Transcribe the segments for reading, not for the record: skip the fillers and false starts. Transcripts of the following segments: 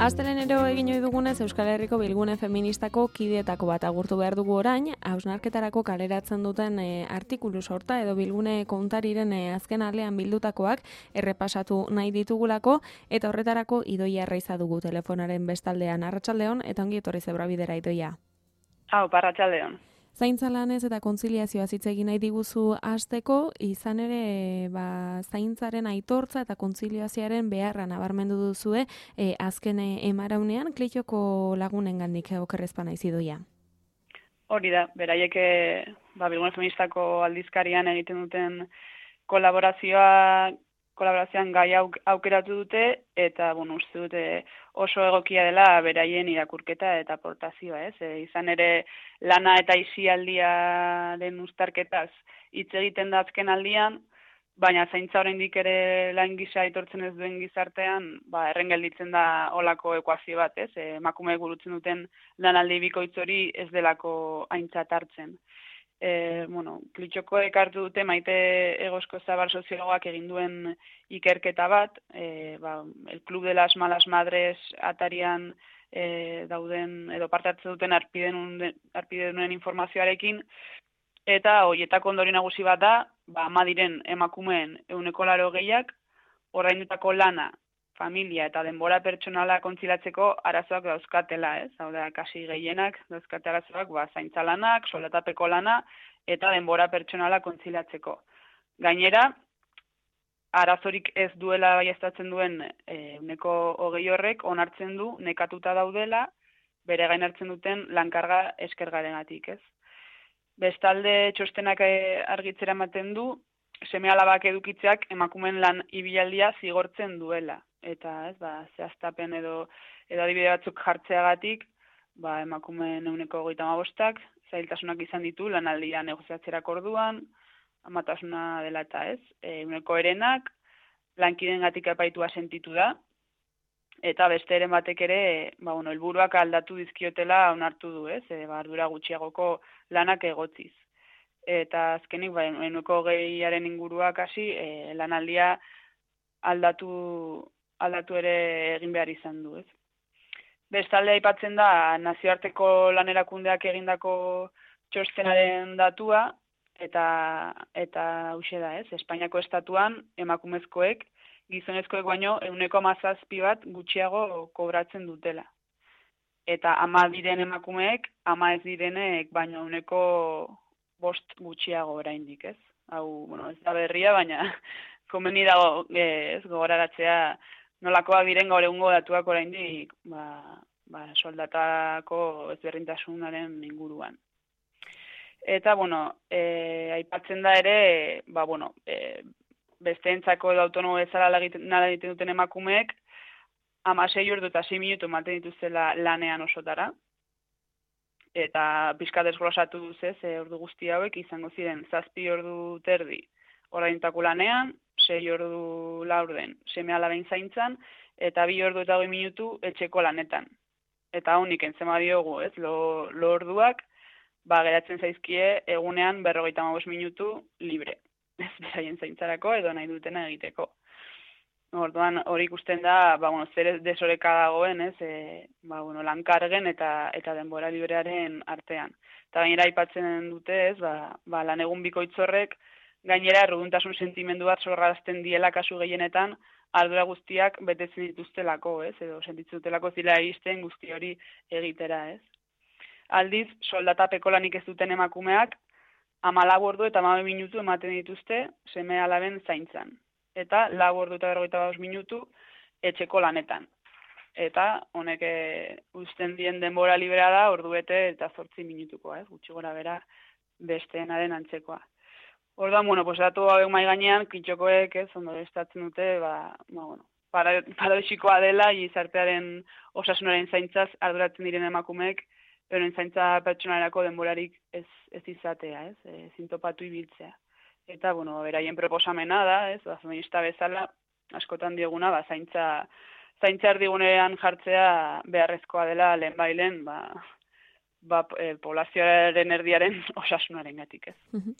Astelenero egin ohi dugunez Euskal Herriko Bilgune Feministako kideetako bat agurtu behar dugu orain, hausnarketarako kaleratzen duten artikulu sorta edo Bilgune kontariren azken alean bildutakoak errepasatu nahi ditugulako, eta horretarako Idoia Arraiza dugu telefonaren bestaldean. Arratsaldeon eta ongi etorri Zebrabidera, Idoia. Arratsaldeon. Zaintza lanez eta kontziliazioa hitz egin nahi diguzu hasteko, izan ere zaintzaren aitortza eta kontziliazioaren beharra nabarmendu duzue azken emaraunean Klitxoko lagunengandik okerrezpa naiz, Idoia. Hori da, beraiek Bilgune Feministako aldizkarian egiten duten kolaborazioan gai aukeratu dute, eta uste dute oso egokia dela beraien irakurketa eta aportazioa, ez? Izan ere lana eta aisialdiaren uztarketaz hitz egiten da azken aldian, baina zaintza oraindik ere lan gisa aitortzen ez duen gizartean, erren gelditzen da olako ekuazio bat, ez? Emakumeek burutzen duten lanaldi bikoitz hori ez delako aintzat hartzen. Klitxokoek hartu dute Maite Egozko Zabal soziologoak egin duen ikerketa bat, el Club de las Malas Madres atarian dauden edo parte hartzen duten arpidedunen informazioarekin, eta horietako ondorio nagusi bat da, ama diren emakumeen 80%ak ordaindutako lana, familia eta denbora pertsonala kontzilatzeko arazoak dauzkatela, ez? Hau da, kasi gehienak dauzkate arazoak, zaintza lanak, soldatapeko lana eta denbora pertsonala kontzilatzeko. Gainera, arazorik ez duela baieztatzen duen 20% horrek onartzen du nekatuta daudela bere gain hartzen duten lankarga eskergarengatik, ez? Bestalde txostenak argitzera ematen du, seme-alabak edukitzeak emakumeen lan ibilaldia zigortzen duela. Eta zehaztapen edo adibide batzuk jartzeagatik, emakumeen 35%ak zailtasunak izan ditu lanaldia negoziatzerako orduan, amatasuna dela eta ez. 1%ak lankideengatik epaitua sentitu da, eta beste eren batek ere, helburuak aldatu dizkiotela onartu du, ez? Ardura gutxiagoko lanak egotziz. Eta azkenik, 20%aren inguruak hasi, lanaldia aldatu ere egin behar izan du, ez? Bestalde aipatzen da nazioarteko lanerakundeak egindako txostenaren datua, eta hauxe da, ez? Espainiako estatuan emakumezkoek gizonezkoek baino 17% bat gutxiago kobratzen dutela. Eta ama diren emakumeek, ama ez direnek baino 5% gutxiago oraindik, ez? Hau, ez da berria, baina komeni dago gogoraratzea nolakoak diren gaur egungo datuak oraindik soldatako ezberdintasunaren inguruan. Eta, aipatzen da ere, besteentzako edo autonomo bezala lan egiten duten emakumeek 16 ordu eta 6 minutu ematen dituztela lanean osotara. Eta pixka desglosatu duzez, ordu guzti hauek izango ziren 7 ordu terdi ordaindutako lanean, 6 ordu laurden seme-alaben zaintzan, eta 2 ordu eta 20 minutu etxeko lanetan. Eta honik entzema diogu, ez, lo orduak, geratzen zaizkie egunean 55 minutu libre. Ez beraien zaintzarako edo nahi dutena egiteko. Orduan hori ikusten da, zer desoreka dagoen, ez, lankargen eta denbora librearen artean. Eta gainera aipatzen dute, ez, lan egun bikoitzorrek, gainera erruduntasun sentimendu bat sorrarazten diela kasu gehienetan, ardura guztiak betetzen dituztelako, ez, edo sentitzen dutelako zila egisten guzti hori egitera, ez. Aldiz, soldatapeko lanik ez duten emakumeak, 14 ordu eta 12 minutu ematen dituzte seme-alaben zaintzan. Eta 4 ordu eta 45 minutu etxeko lanetan. Eta honek uzten dien denbora librea da ordu bete eta 8 minutukoa, gutxi gora bera besteenaren antzekoa. Orduan, datu hauek mahai gainean, Klitxokoek, ondo estatzen dute, paradoxikoa dela, gizartearen osasunaren zaintzaz arduratzen diren emakumeek, euren zaintza pertsonalerako denborarik ez izatea, zintopatu ibiltzea. Eta, beraien proposamena da, feminista bezala, askotan dieguna, zaintza erdigunean jartzea beharrezkoa dela lehenbailen, poblazioaren erdiaren osasunaren gatik, ez.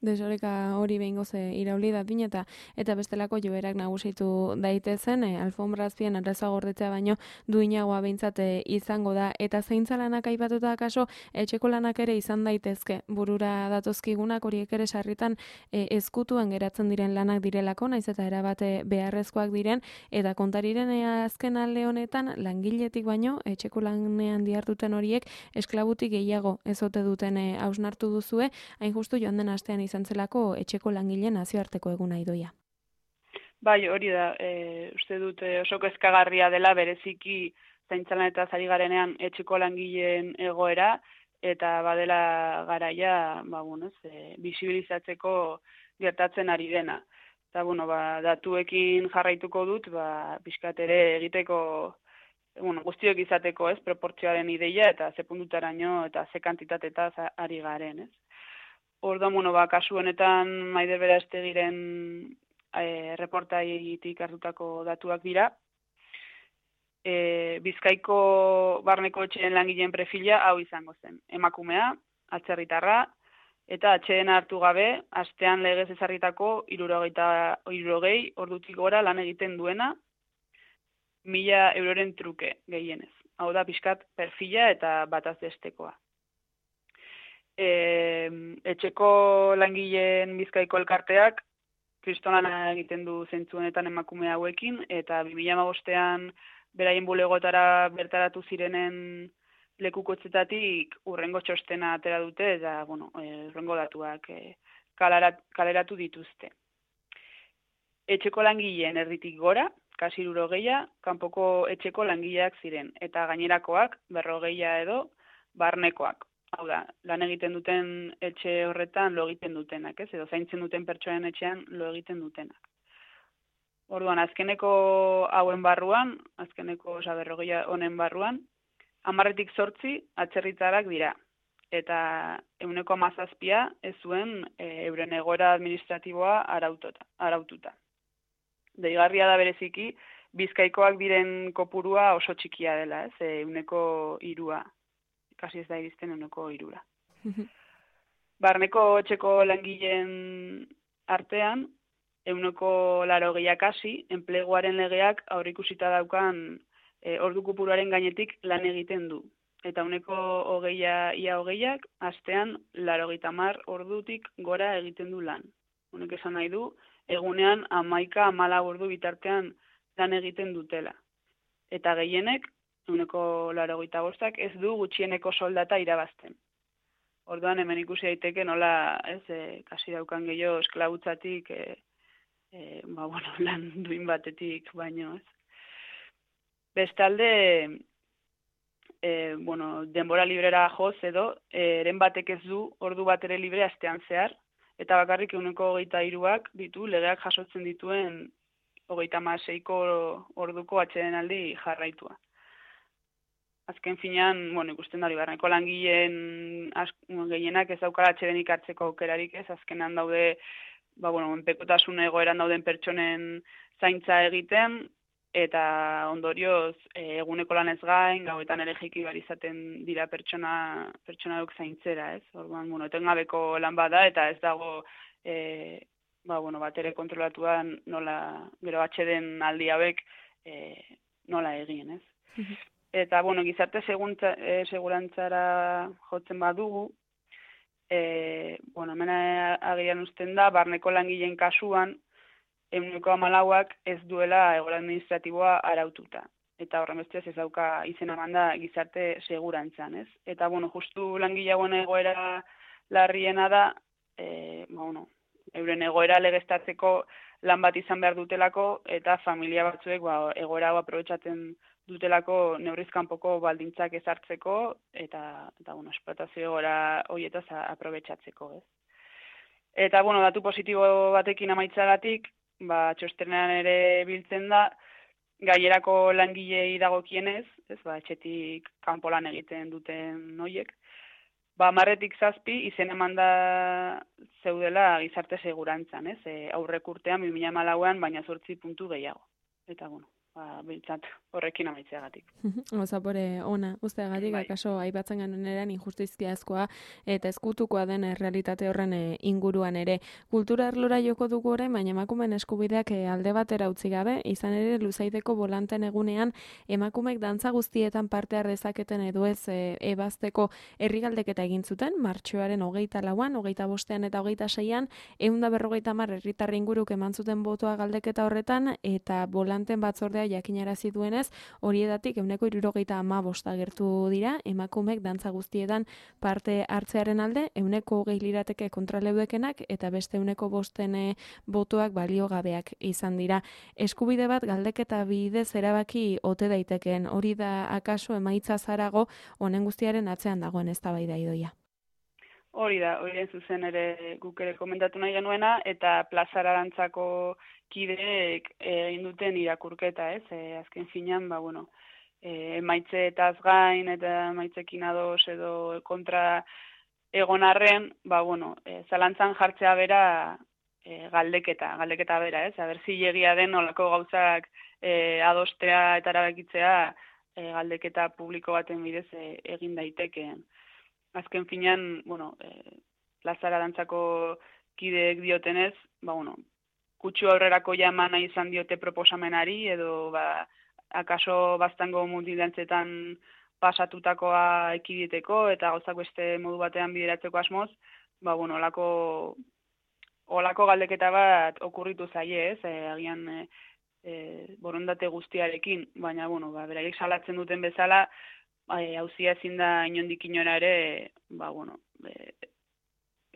Desoreka hori behingoz irauli da din eta bestelako joerak nagusitu daitezen, alfombrazpien arraza gordetzea baino duinagoa behintzat izango da. Eta zeintza lanak aipatuta kaso, etxeko lanak ere izan daitezke. Burura datozkigunak horiek ere sarritan ezkutuan geratzen diren lanak direlako, naiz eta erabat beharrezkoak diren, eta kontariren azken alde honetan langiletik baino, etxeko lanean dihartuten horiek esklabutik gehiago ezote duten hausnartu duzue, hain justu joan den astean izan zelako etxeko langile nazioarteko eguna idoia. Bai, hori da, uste dut oso kezkagarria dela bereziki zaintzalan eta zari garenean etxeko langileen egoera, eta badela garaia, bisibilizatzeko gertatzen ari dena. Eta, datuekin jarraituko dut, pixkat ere egiteko, guztiok izateko, ez, proportzioaren ideia, eta ze puntutaraino, eta ze kantitatetaz ari garen, ez. Orduan, kasu honetan Maider Berastegiren reportaitik hartutako datuak dira. Bizkaiko barneko etxeen langileen perfila hau izango zen. Emakumea, atzerritarra, eta atxeen hartu gabe, astean legez ezarritako 60 ordutik gora lan egiten duena, 1.000 euroren truke gehienez. Hau da pixkat perfila eta bataz bestekoa. Etxeko langileen Bizkaiko elkarteak kristolana egiten du zentzuenetan emakume hauekin, eta 2015ean beraien bulegotara bertaratu zirenen lekukotzetatik urrengo txostena atera dute, eta urrengo datuak kaleratu dituzte. Etxeko langileen erditik gora, kasi 60, kanpoko etxeko langileak ziren, eta gainerakoak 40 edo barnekoak. Hau da, lan egiten duten etxe horretan lo egiten dutenak, ez? Edo zaintzen duten pertsonen etxean lo egiten dutenak. Orduan, azkeneko hauen barruan, azkeneko 40 honen barruan, 10-8 atzerritarrak dira. Eta 17% ez zuen euren egoera administratiboa araututa. Deigarria da bereziki, Bizkaikoak diren kopurua oso txikia dela, ez? 3%. Kasi ez da iristen 3%. Barneko etxeko langileen artean, 80% kasi, enpleguaren legeak aurreikusita daukan ordu kopuruaren gainetik lan egiten du. Eta 20%, astean 80 ordutik gora egiten du lan. Honek esan nahi du, egunean 11-14 ordu bitartean lan egiten dutela. Eta gehienek, 85% ez du gutxieneko soldata irabazten. Orduan hemen ikusi daiteke nola, kasi daukan gehiago esklabutzatik, lan duin batetik baino, ez. Bestalde, denbora librera joz edo, eren batek ez du ordu bat ere libre astean zehar, eta bakarrik 23ak ditu legeak jasotzen dituen 36ko orduko atsedenaldi jarraitua. Azken finean, ikusten da, barneko langileen gehienak ez daukala atsedenik hartzeko aukerarik, ez, azkenan daude, enpekotasun egoeran dauden pertsonen zaintza egiten, eta ondorioz eguneko lanez gain, gauetan ere jaiki behar izaten dira pertsona duk zaintzera, ez? Orduan, etengabeko lan bada, eta ez dago, bat ere kontrolatuan nola, gero atxeden aldi hauek nola egin, ez? Eta, gizarte segurantzara jotzen badugu, hemen agian usten da, barneko langileen kasuan, 14% ez duela egoera administratiboa araututa. Eta horren bestez ez dauka izena emanda gizarte segurantzan, ez? Eta, justu langile hauen egoera larriena da, euren egoera legeztatzeko lan bat izan behar dutelako, eta familia batzuek egoera hau aprobetxatzen dutelako neurrizkanpoko baldintzak ezartzeko, eta esplotazio egoera horietaz aprobetxatzeko, ez? Eta, datu positibo batekin amaitzagatik, txostenean ere biltzen da, gainerako langilei dagokienez, ez, etxetik kanpo lan egiten duten noiek, 10-7 izen emanda zeudela gizarte segurantzan, ez? Aurrek urtean 2014an, baina 8 puntu gehiago. Eta, Bintzat horrekin amaitzeagatik. Zapore ona, usteagatik, akaso aipatzen genuen injustizkiazkoa eta ezkutukoa den realitate horren inguruan ere. Kultura arlora joko dugu orain, baina emakumeen eskubideak alde batera utzi gabe, izan ere Luzaideko bolanten egunean emakumeek dantza guztietan parte har dezaketen edo ez ebazteko herrigaldeketa egin zuten, martxoaren 24an, 25ean eta 26an, 150 herritar inguruk eman zuten botoa galdeketa horretan, eta bolanten batzordea jakinarazi duenez, horietatik 75 agertu dira, emakumeek dantza guztietan parte hartzearen alde, 20 lirateke kontraleudekenak, eta beste 5 botoak baliogabeak izan dira. Eskubide bat galdeketa bidez erabaki ote daitekeen, hori da akaso emaitza zarago honen guztiaren atzean dagoen eztabaida idoia. Hori da, hori zuzen ere guk ere komentatu nahi genuena, eta plazara dantzako kideek egin duten irakurketa, ez? Azken finean, emaitzeetaz gain eta emaitzekin ados edo kontra egon arren, zalantzan jartzea bera galdeketa bera, ez? Aber zilegia den olako gauzak adostea eta erabakitzea galdeketa publiko baten bidez egin daitekeen. Azken finean, plazara dantzako kideek diotenez, kutsu aurrerako jamana izan diote proposamenari, edo akaso baztango multidantzetan pasatutakoa ekiditeko, eta gauzak beste modu batean bideratzeko asmoz, olako galdeketa bat okurritu zaie, ez? Agian borondate guztiarekin, baina, beraiek salatzen duten bezala, hauzia ezin da inondik inora ere,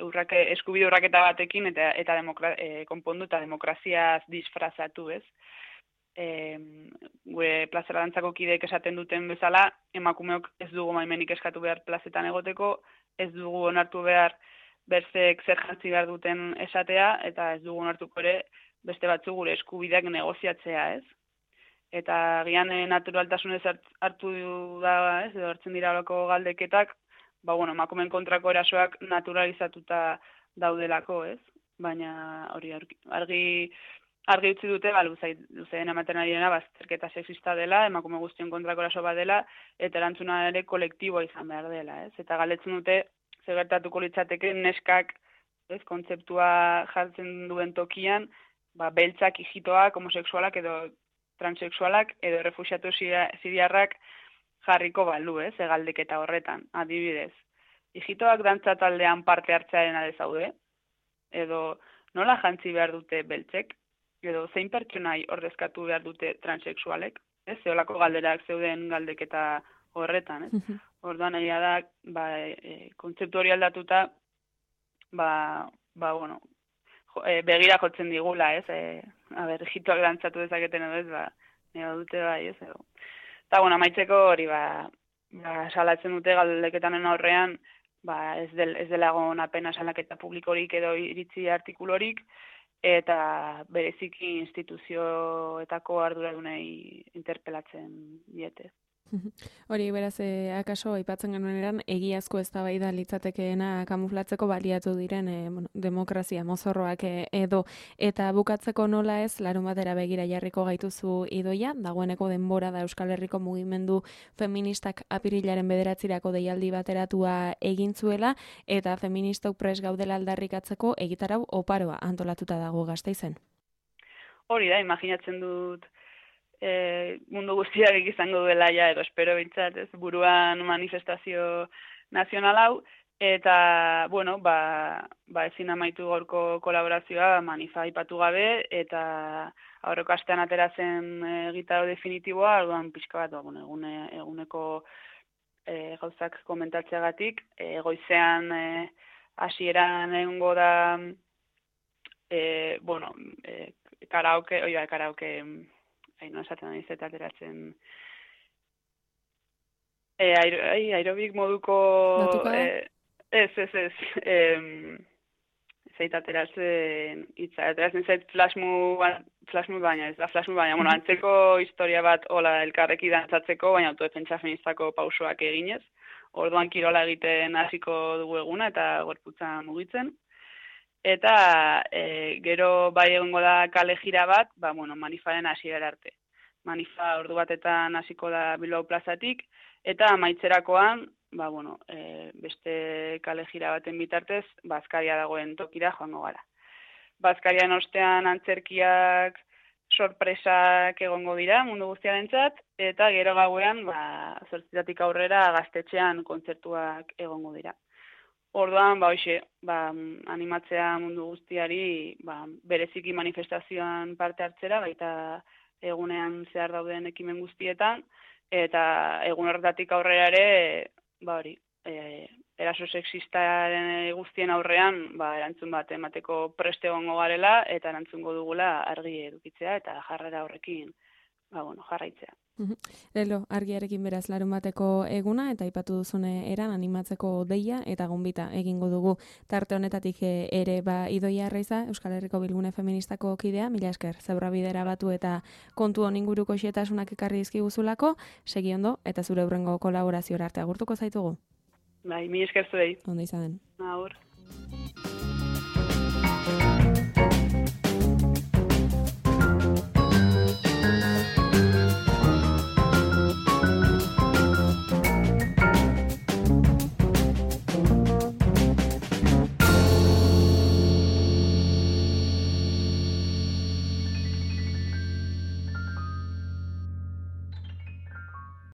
eskubide urraketa batekin eta konpondu eta demokraziaz disfrazatu, ez? Gure plazara dantzako kideek esaten duten bezala, emakumeok ez dugu maimenik eskatu behar plazetan egoteko, ez dugu onartu behar berzek zer jantzi behar duten esatea, eta ez dugu onartuko ere beste batzu gure eskubideak negoziatzea, ez? Eta gian naturaltasunez hartu da, ez, edo hartzen dira olako galdeketak, emakumeen kontrako erasoak naturalizatuta daudelako, ez? Baina hori argi utzi dute, luzean ematen ari dena, bazterketa sexista dela, emakume guztion kontrako eraso bat dela, eta erantzuna ere kolektiboa izan behar dela, ez? Eta galdetzen dute, zer gertatuko litzateke neskak, ez, kontzeptua jartzen duen tokian, beltzak, ijitoak, homosexualak edo transexualak edo errefuxiatu siriarrak jarriko balu, ez, galdeketa horretan, adibidez. Ijitoak dantza taldean parte hartzearen alde zaude, edo nola jantzi behar dute beltzek, edo zein pertsonai ordezkatu behar dute transexualek, ez, zeolako galderak zeuden galdeketa horretan, ez. Orduan, egia da, kontzeptu hori aldatuta, begira jotzen digula, ez, ijitoak dantzatu dezaketen edo ez, nire dute ez, edo. Eta, amaitzeko hori, salatzen dute galdeketanen aurrean, ez dela egon apena salaketa publikorik edo iritzi artikulorik, eta bereziki instituzioetako arduradunei interpelatzen diete. Hori, beraz, akaso, aipatzen genuen eran, egiazko eztabaida litzatekeena kamuflatzeko baliatu diren demokrazia mozorroak edo, eta bukatzeko nola ez, larun batera begira jarriko gaituzu idoia, dagoeneko denbora da Euskal Herriko mugimendu feministak apirilaren 9 deialdi bateratua egin zuela, eta feministok pres gaudela aldarrikatzeko egitarau oparoa antolatuta dago Gasteizen. Hori da, imaginatzen dut, mundu guztiak izango duela edo espero bintzat, ez, buruan manifestazio nazional hau, eta, ezin amaitu gaurko kolaborazioa manifa aipatu gabe, eta aurreko astean ateratzen gitaro definitiboa, orduan pixka bat, eguneko gauzak komentatzeagatik, goizean hasieran egongo da, karaoke, no esaten da izet ateratzen aerobik moduko zait ateratzen zait flashmood baina, ez da flashmood baina, antzeko historia bat hola elkarreki dantzatzeko, baina autodefentsa feministako pausoak eginez, orduan kirola egiten hasiko dugu eguna eta gorputza mugitzen. Eta gero bai egongo da kale jira bat, manifaren hasiera arte. manifa ordu batetan hasiko da Bilbao plazatik, eta amaitzerakoan, beste kale jira baten bitartez, Bazkaria dagoen tokira joango gara. Bazkarian ostean antzerkiak, sorpresak egongo dira mundu guztiarentzat, eta gero gauean, 8:00 aurrera gaztetxean kontzertuak egongo dira. Orduan, animatzea mundu guztiari, bereziki manifestazioan parte hartzera, baita egunean zehar dauden ekimen guztietan, eta egun horretatik aurrera ere, eraso sexistaren guztien aurrean, erantzun bat emateko preste egongo garela, eta erantzungo dugula argi edukitzea, eta jarrera horrekin, jarraitzea. Lelo, argiarekin beraz larunbateko eguna, eta aipatu duzune eran animatzeko deia, eta gonbita egingo dugu tarte honetatik ere Idoia Arraiza, Euskal Herriko Bilgune Feministako kidea, mila esker, zebra bidera batu eta kontu honinguruko xetasunak ekarri dizkiguzulako, segi ondo, eta zure hurrengo kolaborazioa arte agurtuko zaitugu. Mila esker zuei. Ondo izan den. Agur.